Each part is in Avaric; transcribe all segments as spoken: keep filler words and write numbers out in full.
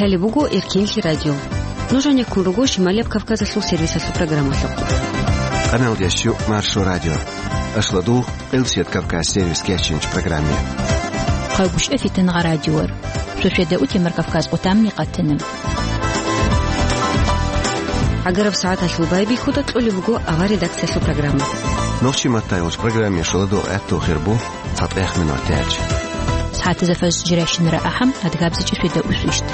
Лъалеб буго Эркенлъи радио. Нуж гьанеккун руго Шималияб Кавказалъул сервисалъул программалъухъ. Къаналдиясчу Маршо радио. Ашладу Къилсият Кавказ сервис кечинч программе. Хъагушев Фитангъа радиор. Шошеда утемар Кавказ къутамни къатана. Агараб сагӀаталъул байбихьуда кьолеб буго авар редакциялъул программа. Нохчи маттайолч программе шоладо гӀатту хирбу. ЦатӀехмин ватӀач. СагӀатазда фаз жиращинара ахӀам, адгабзичӀи шведа усвищт.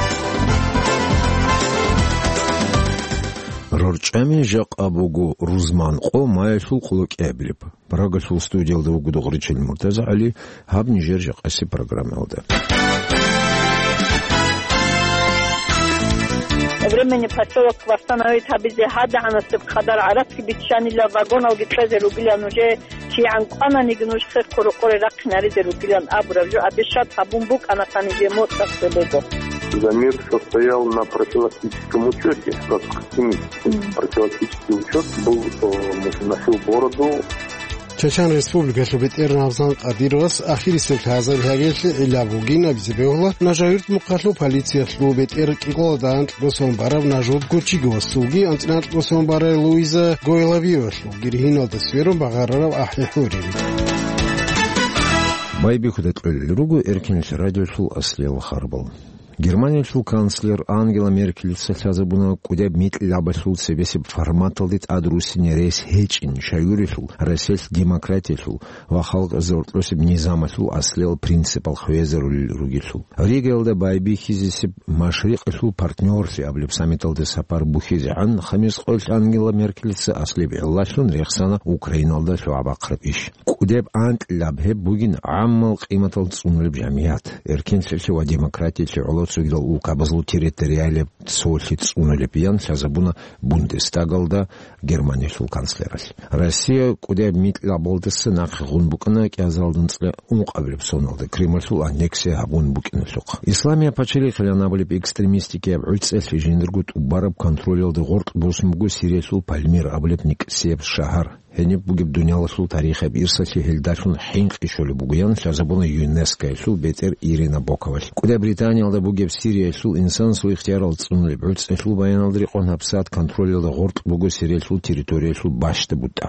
РорчӀами жакъа буго рузман къо маялъул къулокӀиабилеб. Прагалъул студиялда вуго Дугъричил МуртазагӀали, гьаб нижер жакъаси программалда. Временный поселок восстановить гьабизе гьадагӀанасеб къадар гӀарацги биччанила, вагоналги кьезе ругила нужее. КигӀан кӀвананиги нуж хехго рокъоре рахъинаризе ругилан абураб жо обещать гьабун букӀана, гьанибе моцӀалъе буго. Замес состоял на профилактическом учёте, как химический. Мгм. Профилактический учёт был, э, на всю бороду. Чечен Республикалъул бетӀер Рамзан Кадировас ахирисеб лъазаб лъабиялъе гӀилла бугин абизе бегьула Нажагьюрт мухъалъул полициялъул бетӀер кӀикъоялда анкьго сон бараб Нажут Гочиговасулги анцӀила анкьго сон барай Луиза Гойловиевалъул. Гиргьиналда сверун багъарараб ахӀи хӀурин. Байбихьуда кьолел руго Эркенлъи радиолъул аслиял харбал. Германиялъул канцлер Ангела Меркелица лъазабуна кӀудеб микьилабалъул цебесеб форматалде тӀад руссине рес гьечӀин, шаюрелъул, Россиялъ демократиялъул ва халкъ гӀоркьосеб низамалъул аслиял принципал хвезарулел ругелъул. Ригаялда байбихьизесеб Машрикъалъул партнёрлъи абулеб саммиталде сапар бухьизегӀан, Хамис къоялъ Ангела Меркелица аслияб гӀиллалъун рехсана Украиналда лъугӀа-бахъараб иш. КӀудеб анкьилаб гьеб бугин гӀаммал къиматал цӀунулеб жамгӀият, эркенлъиялъе ва демократиялъе гӀоло цогидал улкабазул территориалияб цолъи цӀунулеб, ян лъазабуна Бундестагалда Германиялъул канцлералъ. Россия кӀудеб микьилабалдаса нахъе гъун букӀана кӀиазалда анцӀила ункъабилеб соналда, Кремльлъул аннексия гьабун букӀиналъухъ. Исламияб пачалихъилан абулеб экстремистикияб гӀуцӀиялъе жиндирго тӀубараб контролалда гъоркь босун буго Сириялъул Пальмира абулеб никӀсияб шагьар. Гьениб бугеб дуниялалъул тарихияб ирсалъе гьелдалъун хӀинкъи щолеб буго, ян лъазабуна ЮНЕСКОялъул бетӀер Ирина Боковалъ. КӀудаб Британиялда бугеб Сириялъул инсанасул ихтиярал цӀунулеб гӀуцӀиялъул баяналда рекъон гьабсагӀат контролалда гъоркь буго Сириялъул территориялъул бащда бутӀа.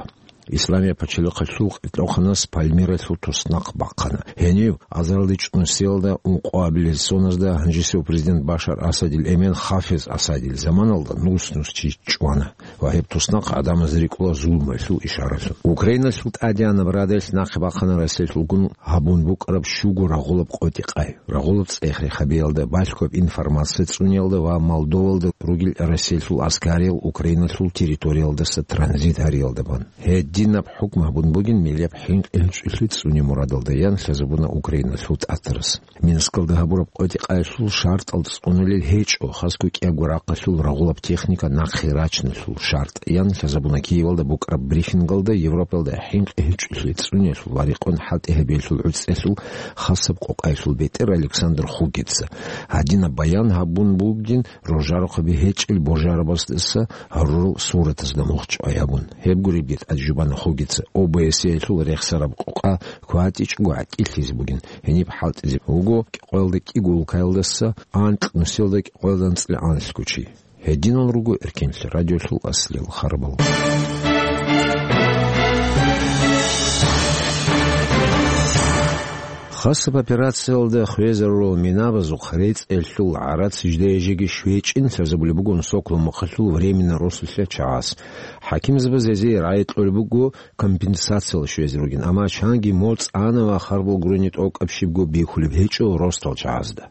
Исламияб пачалихъалъул къилъухъанас Пальмиралъул туснахъ бахъана. Гьенив азарилда чӀунусиялда ункъоабилел соназда гьанжесев президент Башар Асадил эмен Хафиз Асадил заманалда нус-нус чи чӀвана. Ва гьеб туснахъ гӀадамазда рикӀкӀула зулмуялъул ишаралъун. Украиналъул тӀадегӀанаб радалъ нахъе бахъана Россиялъулгун гьабун букӀараб щуго рагъулаб къотӀи-къай. Рагъулаб цӀех-рехабиялда балъгояб информация цӀуниялда ва Молдовалда ругел Россиялъул аскариял Украиналъул территориялдаса транзит гьариялда бан. Гьединаб хӀукму гьабун бугин милеб хӀинкъи-гьечӀолъи цӀуне мурадалда, ян лъазабуна Украиналъул тӀатарас. Минскалда гьабураб къотӀи-къайалъул шартӀал цӀунулел гьечӀо, хасго кӀиябго рахъалъул рагъулаб техника нахъе рачиналъул шартӀ, ян лъазабуна Киевалда букӀараб брифингалда Европалда хӀинкъи-гьечӀолъи цӀуниялъул ва рекъон хӀалтӀи гьабиялъул гӀуцӀиялъул хасаб къокъаялъул бетӀер Александр Хугеца. Гьадинаб баян гьабун бугин рожарухъаби гьечӀел божарабаздаса гьарурал суратазда мухъ чӀвай гьабун. Гьеб гуребги тӀаде жубана Хугеца ОБСЕ-ялъул рехсараб къокъа кватӀичӀого гӀатӀилъизе бугин. Гьениб хӀалтӀизе вуго кӀикъоялда кӀиго улкаялдаса анкь нусиялда кӀикъоялда анцӀила анлъго чи. Гьединал руго Эркенлъи радиолъул аслиял харбал. Хасаб операциялда хвезарурал минабазухъ рецӀелъул гӀарац жидее жеги щвечӀин лъазабулеб бугон Соколов мухъалъул временный росулъа чагӀаз. ХӀакимзабаз гьезие рагӀи кьолеб буго компенсациял щвезе ругин, амма чанги моцӀ ана ва харбал гурони тӀокӀаб щибго бихьулеб гьечӀо росдал чагӀазда.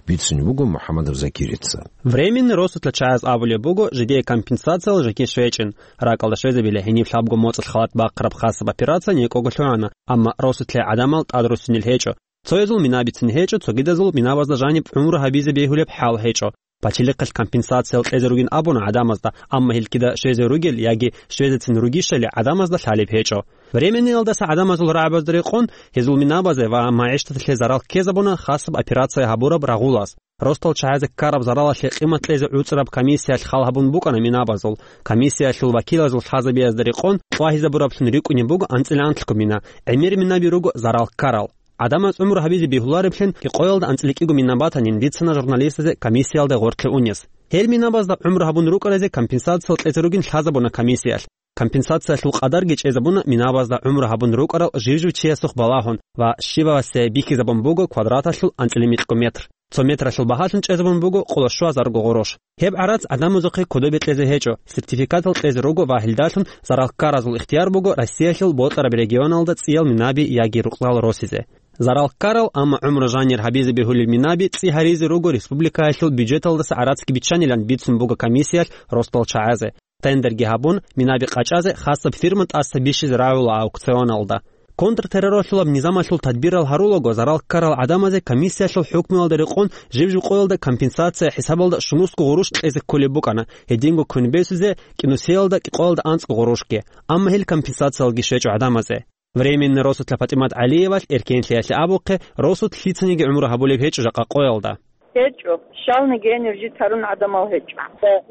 Бицунеб буго МухӀаммадов Закирица. Временный росулъа чагӀаз абулеб буго жидее компенсациял жеги щвечӀин, ракӀалда щвезабила гьениб лъабго моцӀалъ халат бахъараб хасаб операция некӀого лъугӀана, амма росулъе гӀадамал тӀадруссинел гьечӀо. Цоязул мина бицин гьечӀо, цогидазул минабазда жаниб гӀумру гьабизе бегьулеб хӀал гьечӀо. Пачалихъалъ компенсациял кьезе ругин абуна гӀадамазда, амма гьелкида щвезе ругел яги щвезецин ругищали гӀадамазда лъалеб гьечӀо. Временныйалдаса гӀадамазул рагӀабазда рекъон, гьезул минабазе ва магӀишталъе зарал ккезабуна хасаб операция гьабураб рагъулаз. Росдал чагӀазе ккараб заралалъе къимат кьезе гӀуцӀараб комиссиялъ хал гьабун букӀана минабазул. Комиссиялъул вакилазул лъазабиязда рекъон кьвагьизабураблъун рикӀкӀунеб буго анцӀила анлъго мина, гӀемер минаби руго зарал ккарал. ГӀадамаз гӀумру гьабизе бегьулареблъин къоялда анцӀила кӀиго мина батанин бицана журналистазе комиссиялда гъоркье унес. Гьел минабазда гӀумру гьабун рукӀаразе компенсациялъ кьезе ругин лъазабуна комиссиялъ. Компенсациялъул къадарги чӀезабуна минабазда гӀумру гьабун рукӀарал жив-жив чиясухъ балагьун ва щибабасе бихьизабун буго квадраталъул анцӀила микьго метр. Цо метралъул багьалъун чӀезабун буго къоло щуазарго гъурущ. Гьеб гӀарац гӀадамазухъе кодобе кьезе гьечӀо, сертификатал кьезе руго ва гьелдалъун зарал ккаразул ихтияр буго Россиялъул бокьараб регионалда цӀиял минаби яги рукъзал росизе. Зарал ккарал, амма гӀумру жанир гьабизе бегьулел минаби цӀи гьаризе руго республикаялъул бюджеталдаса гӀарацги биччанилан бицун буго комиссиялъ росдал чагӀазе. Тендерги гьабун, минаби къачӀазе хасаб фирма тӀаса бищизе рагӀула аукционалда. Контртерроралъулаб низамалъул тадбирал гьарулаго зарал ккарал гӀадамазе комиссиялъул хӀукмуялда рекъон жив-жив къоялда компенсация хӀисабалда щунусго гъурущ кьезе кколеб букӀана, гьединго квен бесизе кӀинусиялда кӀикъоялда анцӀго гъурущги, амма гьел компенсациялги щвечӀо гӀадамазе. Временный росулъа ПатӀимат ГӀалиевалъ Эркенлъиялъе абухъе, росулъ лъицаниги гӀумру гьабулеб гьечӀо жакъа къоялда. ГьечӀо, щалниги гьенив житарун гӀадамал гьечӀо.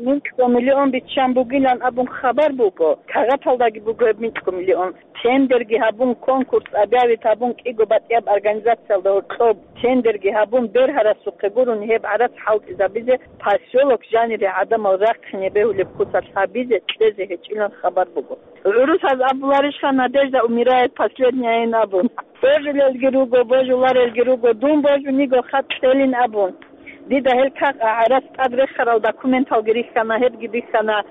Микьго миллион биччан бугилан абун хабар буго, кагъаталдаги буго гьеб микьго миллион. Тендерги гьабун, конкурс объявить гьабун, кӀиго батӀияб организациялда гьоркьоб тендерги гьабун, бергьарасухъе гурун гьеб гӀарац хӀалтӀизабизе, поселок жанире гӀадамал рахъине бегьулеб куцалъ гьабизе кьезе гьечӀилан хабар буго. ГӀурусаз абуларищха: «Надежда умирает последняя», ин абун. Божулелги руго, божуларелги руго, дун божуниго хатӀ кьелин абун. Дида гьел кагъ-, гӀарац тӀад рехарал документалги рихьана, гьебги бихьана.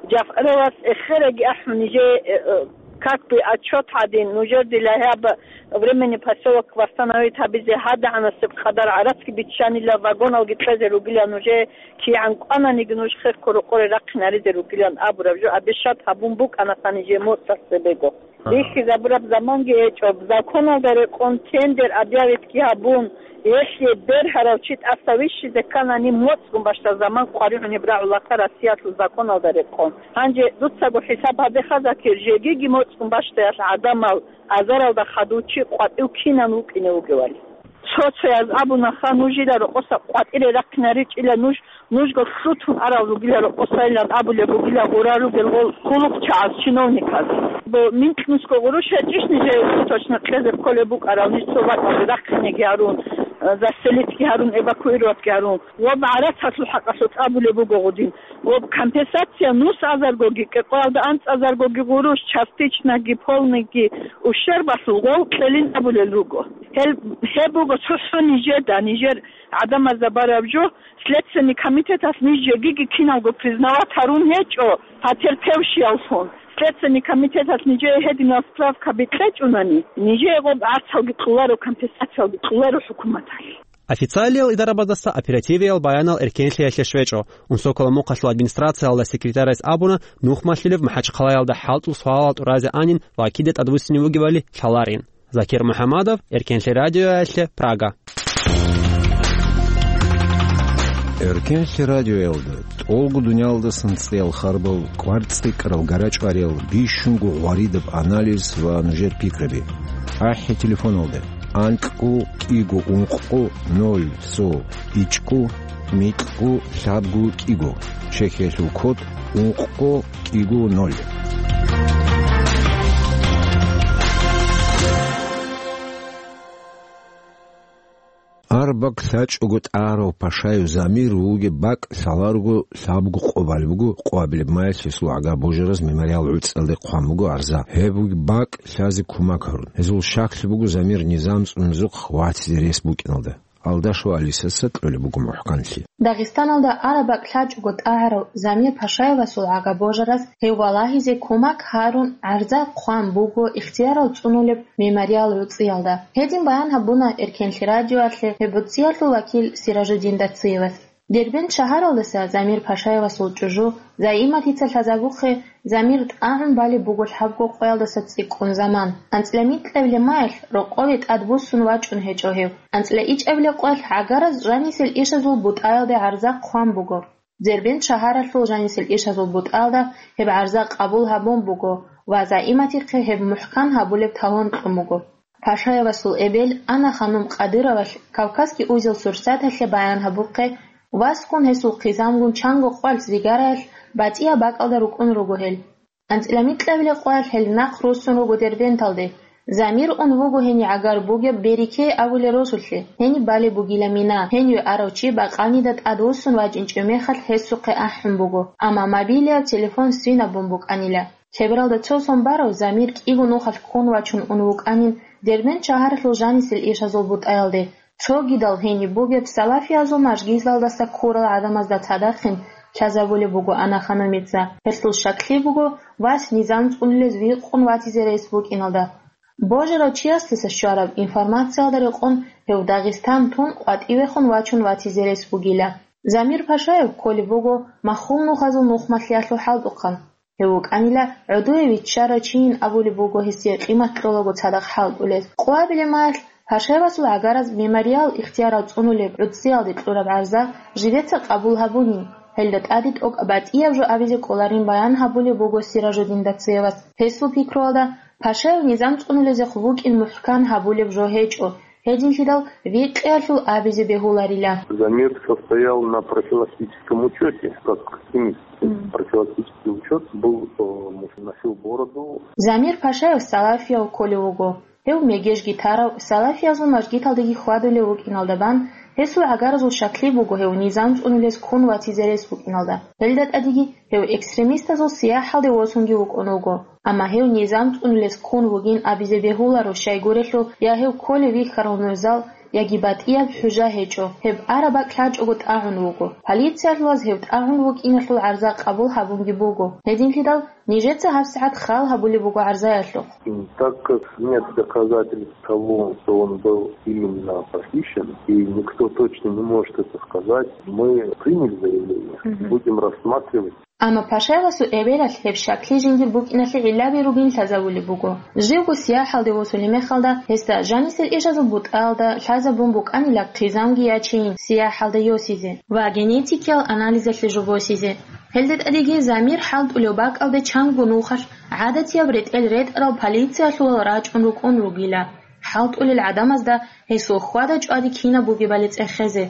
Жафаровас эхераги ахӀун нижее, э, э, как бы отчет гьадин, нужер дила гьаб временный поселок восстановить гьабизе гьадагӀанасеб къадар гӀарацги биччанила, вагоналги кьезе ругила нужее, кигӀан кӀвананиги нуж хехго рокъоре рахъинаризе ругилан абураб жо обещать гьабун букӀанаса нижее моцӀалъ цебего. Ага. Бихьизабураб заманги гьечӀо, законалда рекъон тендер объявитги гьабун, гьелъие бергьарав чи тӀаса вищизе кканани моцӀгун бащдаб заман къваригӀунеб рагӀулаха Россиялъул законалда рекъон. Гьанже дуцаго хӀисаб гьабеха, Закир, жегиги моцӀгун бащдаял гӀадамал азаралда хадув чи къватӀив кинан вукӀине вугевали. Цо-цояз абунаха, нужила рокъоса къватӀире рахъинаричӀила нуж, нужго лъутун арал ругила рокъосайилан абулеб бугила гъура ругел гъол хъулухъчагӀаз, чиновниказ. Бо микьнусго гъурущ гьечӀищ нижее точно кьезе кколеб букӀарал, ниж цо бакӀалде рахъинеги гьарун, э, заселитги гьарун, эвакуироватги гьарун. Ва гӀарацалъул хӀакъалъулъ абулеб буго гъудин. Ва компенсация нус азаргоги, кӀикъоялда анцӀазаргоги гъурущ, частичноги, полныйги ущербалъул гъол кьелин абулел руго. Гьел, гьеб буго цохӀо нижеда, нижер гӀадамазда бараб жо, Следственный комитеталъ ниж жегиги киналго признавать гьарун гьечӀо потерпевшияллъун. Следственный комитеталъ нижее гьединал справкаби кьечӀунани, нижее гъоб гӀарцалги кьоларо, компенсациялги кьоларо хӀукуматалъ. Официалиял идарабаздаса оперативиял баянал Эркенлъиялъе щвечӀо. Унсокола мухъалъул администрациялда секретарас абуна, нухмалъилев МахӀачхъалаялда хӀалтӀул суалал тӀуразе анин ва кида тӀадвуссине вугевали лъаларин. Закир МухӀамадов, Эркенлъи радиоялъе, Прага. Эркенлъи радиоялда тӀолго дуниялдасан цӀеял харбал, кӀвар цӀикӀкӀарал гарачӀвариял, бищунго гъваридаб анализ ва нужер пикраби. АхӀи телефоналда: анкьго кӀиго ункъго ноль цо ичӀго микьго лъабго кӀиго, Чехиялъул код ункъго кӀиго ноль. Араб бакӀ лъачӀого тӀагӀарав Пашаев Замир вугеб бакӀ лъаларого лъабго къо балеб буго, къоабилеб майилъ гьесул гӀага божараз мемориал гӀуцӀиялде хъван буго гӀарза. Гьеб вугеб бакӀ лъазе кумак гьарун. Гьезул щаклъи буго Замир низам цӀунезухъ ватизе рес букӀиналда. Алдашева Алисаца кьолеб буго мухӀканлъи. Дагъистаналда араб бакӀ лъачӀого тӀагӀарав Замир Пашаевасул гӀага божараз гьев валагьизе кумак гьарун гӀарза хъван буго ихтиярал цӀунулеб мемориал гӀуцӀиялда. Гьедин баян гьабуна Эркенлъи радиоялъе гьеб гӀуцӀиялъул вакил Сиражуддин Дациевас. Дербент шагьаралдаса Замир Пашаевасул чӀужу Заиматица лъазабухъе, Замир тӀагӀун балеб буго лъабго къоялдаса цӀикӀкӀун заман. АнцӀила микьабилеб майилъ рокъове тӀадбуссун вачӀун гьечӀо гьев. АнцӀила ичӀабилеб къоялъ гӀагараз жанисел ишазул бутӀаялде гӀарза хъван буго. Дербент шагьаралъул жанисел ишазул бутӀаялда гьеб гӀарза къабул гьабун буго ва Заиматихъе гьеб мухӀкан гьабулеб талон кьун буго. Пашаевасул эбел Анна-ханум Къадыровалъ Кавказский узел Сурсаталъе баян гьабухъе, васгун гьесул хъизамгун чанго къвалъ Зигараялъ батӀияб бакӀалда рукӀун руго гьел. АнцӀила микьабилеб къоялъ гьел нахъ руссун руго Дербенталде. Замир ун вуго гьенив гӀагар бугеб Берике абулеб росулъе, гьениб балеб бугила мина, гьениве арав чи бакъанида тӀадвуссун вачӀинчӀев мехалъ гьесухъе ахӀун буго, амма мобилияб телефон свинаб бун букӀанила. Лъебералда цо сон барав Замир кӀиго нухалъ ккун вачун ун вукӀанин Дербент шагьаралъул жанисел ишазул бутӀаялде, цогидал гьениб бугеб салафиязул мажгиталдаса ккурал гӀадамазда цадахъин лъазабулеб буго Анаханумица. Гьелъул щаклъи буго вас низам цӀунулез викъун ватизе рес букӀиналда. Божарав чиясдаса щвараб информациялда рекъон гьев Дагъистан тун къватӀивехун вачун ватизе рес бугила. Замир Пашаев кколеб буго маххул нухазул нухмалъиялъул хӀалтӀухъан. Гьев вукӀанила гӀодове виччарав чийин абулеб буго гьесие къимат кьолаго цадахъ хӀалтӀулез. Къоабилеб мехалъ Пашаевасул гӀагараз мемориал ихтиярал цӀунулеб гӀуцӀиялде кьураб гӀарза жидеца къабул гьабунин, гьелда тӀаде тӀокӀаб батӀияб жо абизе кӀоларин баян гьабулеб буго Сиражуддин Дацеевас. Гьесул пикруялда, Пашаев низам цӀунулезехъ вукӀин мухӀкан гьабулеб жо гьечӀо, гьединлъидал викъиялъул абизе бегьуларила. Замир состоял на профилактическом учёте, как экстремист. Мгм. Профилактический учёт был, э, носил бороду. Замир Пашаев салафияв кколев вуго. Гьев мегежги тарав, салафиязул мажгиталдаги хьвадулев вукӀиналда бан, гьесул гӀагаразул щаклъи буго гьев низам цӀунулез ккун ватизе рес букӀиналда. Гьелда тӀадеги гьев экстремистазул сияхӀалде восунги вукӀун вуго. Амма гьев низам цӀунулез ккун вугин абизе бегьуларо щайгурелъул, я гьев кколев вихьарав нугӀзал, яги батӀияб хӀужа гьечӀо, гьеб араб бакӀ лъачӀого тӀагӀун вуго. Полициялъулаз гьев тӀагӀун вукӀиналъул гӀарза къабул гьабунги буго. Гьединлъидал нижеца гьабсагӀат хал гьабулеб буго гӀарзаялъухъ. Так как нет доказательств того, что он был именно похищен, и никто точно не может это сказать, мы приняли заявление, Мгм. будем рассматривать. Амма Пашаевасул эбелалъ гьеб щаклъи жиндир букӀиналъе гӀиллаби ругин лъазабулеб буго. Живго сияхӀалде восулеб мехалда, гьесда жанисел ишазул бутӀаялда лъазабун букӀанила хъизамги ячейин сияхӀалда йосизе ва генетикиял анализалъе жо босизе. Гьелда тӀадеги Замир хӀалтӀулев бакӀалде чанго нухалъ гӀадатияб ретӀел ретӀарал полициялъулал рачӀун рукӀун ругила, хӀалтӀулел гӀадамазда гьесул хьвада-чӀвади кинаб бугебали цӀехезе.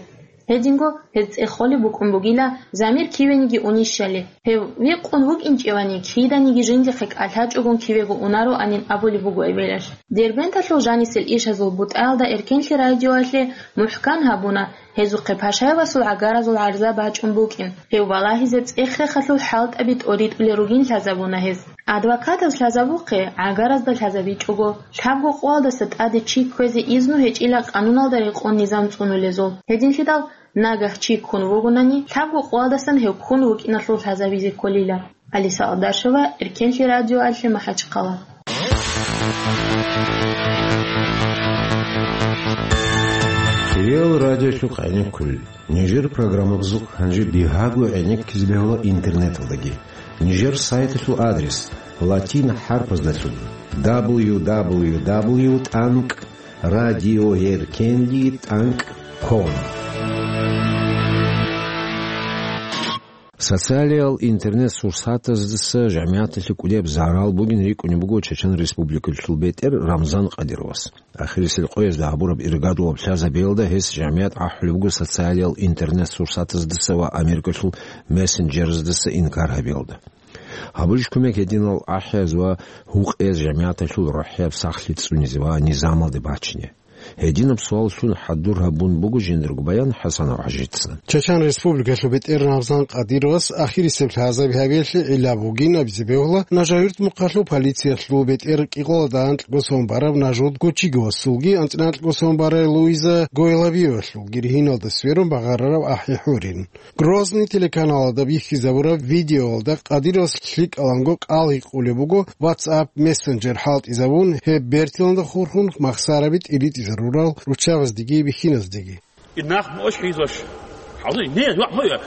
Гьединго гьез цӀехолеб букӀун бугила, Замир кивениги унищали. Гьев викъун вукӀинчӀевани, киданиги жиндихъе кӀалъачӀогун кивего унароанин абулеб буго эбелалъ. Дербенталъул жанисел ишазул бутӀаялда Эркенлъи радиоялъе мухӀкан гьабуна, гьезухъе Пашаевасул гӀагаразул гӀарза бачӀун букӀин, гьев балагьизе цӀех-рехалъул хӀалтӀаби тӀоритӀулел ругин лъазабуна гьез. Адвокатаз лъазабухъе, гӀагаразда лъазабичӀого, лъабго къоялдаса тӀаде чи кквезе изну гьечӀила къануналда рекъон низам цӀунулезул. Гьединлъидал нагагь чи ккун вугонани, лъабго къоялдасан гьев ккун вукӀиналъул лъазабизе кколила. Алиса Алдашева, Эркенлъи радиоялъе МахӀачхъала. Кирил радиолъухъ гӀенеккулел. Нижер программабазухъ гьанже бигьаго гӀенеккизе бегьула интернеталдаги. Нижер сайталъул адрес латин хӀарпаздалъун: дабл ю дабл ю дабл ю тӀанкӀ радиоеркенлъи тӀанкӀ ком. Социалиял интернет-сурсатаздаса жамигӀаталъе кӀудияб зарал бугин рикӀкӀунеб буго Чечен Республикалъул бетӀер Рамзан Къадировас. Ахирисел къоязда гьабураб иргадулаб лъазабиялда гьес жамигӀат ахӀулеб буго социалиял интернет-сурсатаздаса ва Америкалъул мессенджераздаса инкар гьабиялда. Гьабулищ кумек гьединал ахӀияз ва гьукъияз жамигӀаталъул рохӀияб сахлъи цӀунизе ва низамалде бачине? Гьединаб суаллъун хӀадур гьабун буго жиндирго баян ХӀасанов ХӀажица. Чачан Республикалъул бетӀер Рамзан Къадировас ахирисеб лъазаби гьабиялъе гӀилла бугин абизе бегьула Нажагьюрт мухъалъул полициялъул бетӀер кӀикъоялда анкьго сон бараб Нажуд Гочиговасулги анцӀила анкьго сон барай Луиза Гойлабиевалъулги ригьиналда сверун багъарараб ахӀи гьурин. Грозный телеканалалда бихьизабураб видеоялда Къадировас лъикӀаланго кӀал гьикъулеб буго WhatsApp мессенджер хӀалтӀизабун, гьеб бертиланда хурхун махсараби тӀиритӀизарурал руччабаздеги бихьиназдеги. Инах мощ хӀизош. Хьалуй, не, я, хо, я.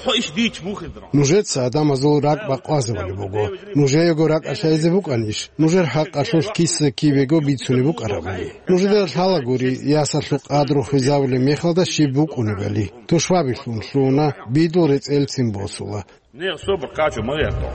Хо иш дич мухидра. Нужеца адамазул ракӀ бакъвазабулеб буго. Нужеего ракӀ лъазе букӀанищ? Нужер хӀакъалъулъ киса кибего бицунеб букӀарабали. Нужеда лъалагури, ясалъул къадру хвезабулеб мехалда щиб букӀунебали. Тушбабилъун лъугьуна, бидул рецӀелцин босула. Не, собр, качу, мага, то.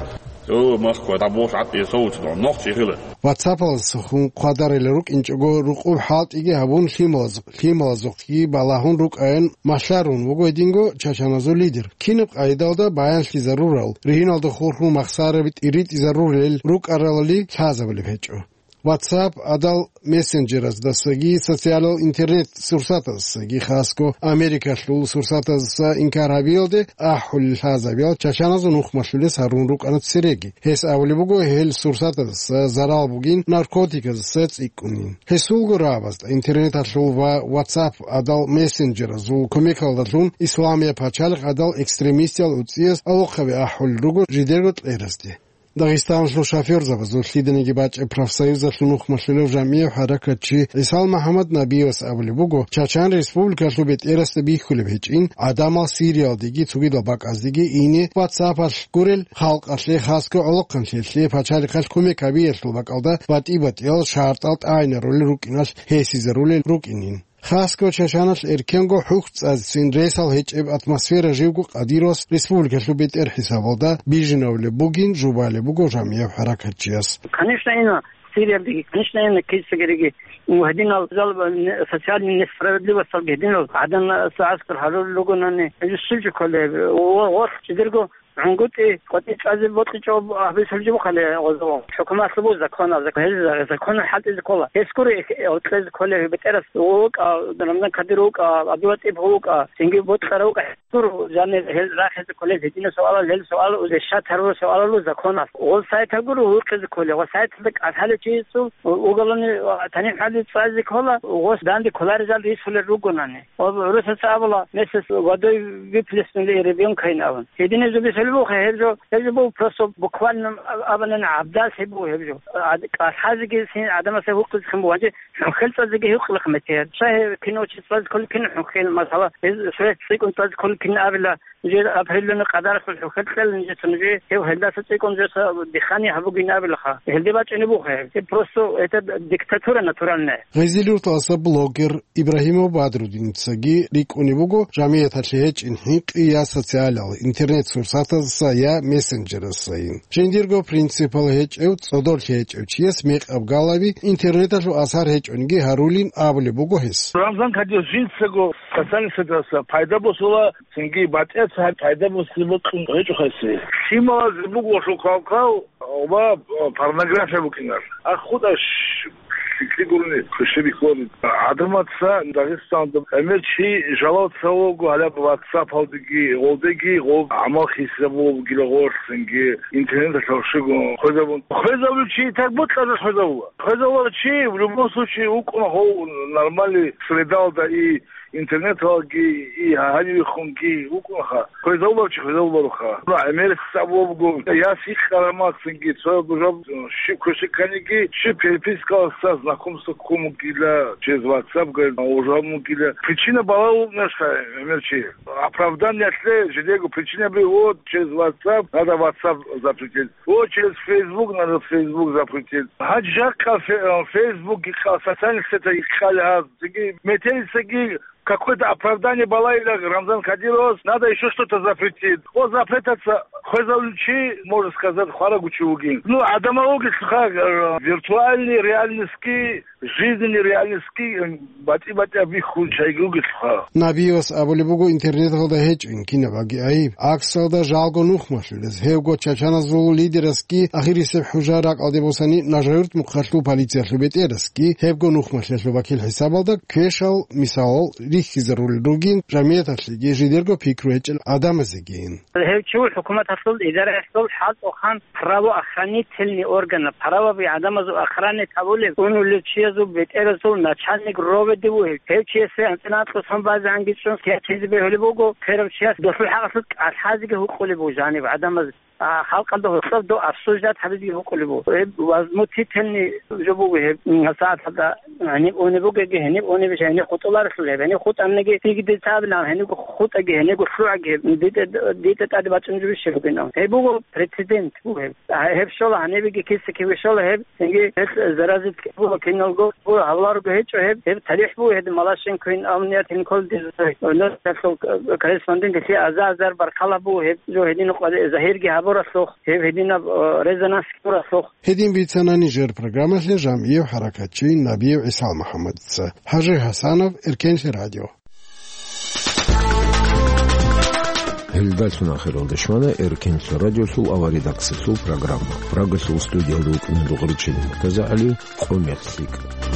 О, Москва, да бос, а ты, соуч, да, ногти хила. WhatsApp-алдасахун хъвадарила рукӀинчӀого рукъуб хӀалтӀиги гьабун лъималаз-, лъималазухъги балагьун рукӀаян малъарун вуго гьединго чачаназул лидер. Кинаб къайдалда баянлъизарурал, ригьиналда хурхун махсараби тӀиритӀизарурел рукӀаралали лъазабулеб гьечӀо. WhatsApp гӀадал мессенджераздасаги социалал интернет-сурсатаздасаги, хасго Америкалъул сурсатаздаса инкар гьабиялде ахӀулел лъазабиял чачаназул нухмалъулес гьарун рукӀана цереги. Гьес абулеб буго, гьел сурсатаздаса зарал бугин, наркотиказаса цӀикӀкӀунин. Гьесулго рагӀабазда интернеталъул ва WhatsApp гӀадал мессенджеразул кумекалдалъун исламияб пачалихъ гӀадал экстремистиял уцӀияс алохъаби ахӀулел руго жидерго кьеразде. Дагъистаналъул шофёрзабазул лъиданиги бачӀеб профсоюзалъул нухмалъулев жамгӀияв хӀаракатчи ГӀисал МухӀаммад Набиевас абулеб буго, Чачан Республикалъул бетӀерасда бихьулеб гьечӀин, гӀадамал Сириялдеги цогидал бакӀаздеги ине WhatsApp-алъ гурел халкъалъе, хасго гӀолохъанлъиялъе пачалихъалъ кумек гьабиялъул бакӀалда батӀи-батӀиял шартӀал тӀагӀинарулел рукӀиналъ гьесизарулел рукӀинин. Хасго Чачаналъ эркенго хӀухь цӀацӀцӀин ресал гьечӀеб атмосфера живго къадирас республикалъул бетӀер хӀисабалда бижинавулеб бугин жубалеб буго жамгӀияв хӀаракатчияс. Конечно, ина Сириялдеги, конечно, ина кицагериги, гьединал зал-, социальный несправедливосталги гьединал гӀадан сагӀаскар гьарулел ругонани, гьезул жо кколеб, о, о, чидерго гӀунгутӀи, къватӀи чӀвазе бокьичӀо гьабисулги бухъали гъозо. ХӀукуматлъубу законал, зак-, гьез законал хӀалтӀизе ккола. Гьес гури гьекъезе кколев бетӀерас вукӀа, Рамзан Кадиров вукӀа, АбдуллатӀип вукӀа, цинги бокьарав вукӀа. Гьес гуро жанир гьел рахизе кколел гьединал суалал, гьел суал решать гьарурал суалалу законал. Гъол сайтал гуро вукъизе кколев, ва сайталда кӀалъалев чиясул уголовный танихӀали цӀазе ккола, гъос данде кколарезал рисулел ругонани. Ва гӀурусаца абула, месяц водой выплеснули ребёнка ин абун. Гьединаб жо бицунеб буго гьеб жо, гьеб жо буго просто буквально аб-, абунани гӀабдаллъи буго гьеб жо. ГӀад-, кӀалъазеги син гӀадамасе гьукъизехъин буго, гьанже хӀухьел цӀазеги гьукъилахъ метер. Щай гьеб кино чи цӀазе кколел кин хӀухьел, масала, гьез сурет цӀикӀкӀун цӀазе кколел кин абила, жер апрелалда къадаралъул хӀухьел кьела нижеца, нужее гьев гьелдаса цӀикӀкӀун жеца дихъани гьабугин абилаха. Гьелде бачӀунеб буго гьеб. Гьеб просто это диктатура натуральная. Гъезилюрталаса блогер Ибрагьимов Бадрудиницаги рикӀкӀунеб буго, жамигӀаталъе гьечӀин хӀинкъи я социалал интернет-сурсатаздаса, я мессенджерасайин. Жиндирго принципал гьечӀев, цӀодорлъи гьечӀев чияс мекъаб галаби интернеталъул асар гьечӀониги гьарулин абулеб буго гьес. Рамзан Кадиров жинцаго социальный сетьалъа пайда босула, цинги батӀияб цо пайда босизе бокьун гьечӀо гьесие. Лъималазе буго лъухъалхъал ва порнография букӀинар. Ахуташ лъикӀлъи гурони хвешабихьуларо. ГӀадамаца Дагъистаналда гӀемер чи жалал цалуго гьалаб WhatsApp-алдеги, гъолдеги гъол гӀамал хисабулеб бугила гъорлъинги, интернеталъ гьоршого хвезабун. Хвезабулев чи тагбукьазда хвезабула. Хвезабулев чи в любом случае вукӀуна гъов нормальный средалда и интернеталги, и гьанивехунги вукӀунаха. Хвезавулев чи хвезавулароха. Ну, гӀемерисеб буго, я сихъ карамахъинги, цо гужаб щиб квешиканиги, щиб перепискалъа знакомство ккун бугила, через WhatsApp, говорит, ужаб бугила. Причина балагьун нешха гӀемер чи. Оправданиялъе жидего причина бигьу, через WhatsApp, надо WhatsApp запретить. О, через Facebook, надо Facebook запретить. Гьанже жакъа фе-, э, Facebook гьикъа, социальных сетях гьикъали гьаз. Цинги метерисаги какое-то оправдание балайила Рамзан Кадировас, надо ещё что-то запретить. О, запретаться хвезавулев чи, можно сказать, хварагучи вугин. Ну, гӀадамал вугелъулха, э, виртуальный реальностьги, жизненный реальностьги, э, батӀи-батӀияб бихьун чайги вугелъулха. Набиевас абулеб буго интернеталда гьечӀин кинабаги гӀайиб. ГӀаксалда жалго нухмалъулез. Гьевго чачаназул лидерасги ахирисеб хӀужа ракӀалде босани Нажаюрт мухъалъул полициялъул бетӀерасги гьебго нухмалъиялъул вакил хӀисабалда квешал мисалал рихьизарулел ругин жамигӀаталъеги жидерго пикру гьечӀел гӀадамазегин. Гьев чи хӀукуматалъул идараялъул хӀалтӀухъан правоохранительный органа, правоби гӀадамазул охрана гьабулев, унулев чиязул бетӀерасул начальник роведе вугев. Гьев чиясе анцӀила анкьго сон базе ангицӀун сиятизе бегьулеб буго, херав чияс досул хӀакъалъулъ кӀалъазеги гьукъулеб буго жаниб гӀадамаз. А, халкъалда гьоркьоб дов обсуждать гьабизеги гьукъулеб буго. Гьеб возмутительный жо буго гьеб, м, сагӀаталда гьениб унеб бугеги, гьениб унебищ, гьениб хутӀуларелъул гьеб, гьениб хутӀаниги, диги дица абилан, гьенибго хутӀаги, гьенибго лъугӀаги гьеб, дитӀа, дитӀа тӀаде бачӀунеб жо бищ бугин. Гьеб буго прецедент буго гьеб. А, гьеб щола гьанибеги киса-киви щола гьеб, цинги гьел заразит буго киналго, буго гьавларго гьечӀо гьеб, гьеб тарихӀ буго гьеб, Малашенкоин амният инкол дезасай. Носалъул корреспондент гьелъие азар-азар баркала буго гьеб, жо гьедин къвазе загьирги гьабуралъухъ, гьеб гьединаб, э, резонанс гьабуралъухъ. Гьедин бицана нижер программалъе жамгӀияв хӀаракатчи Набиев ГӀисал МухӀаммадица. ХӀажи ХӀасанов, Эркенлъи радио. Гьелдалъун ахиралда щвана Эркенлъа радиолъул аваридакциясул программа. Прагалъул студиялда вукӀана Дугъричил МуртазагӀали. Къо-мекъ лъикӀ.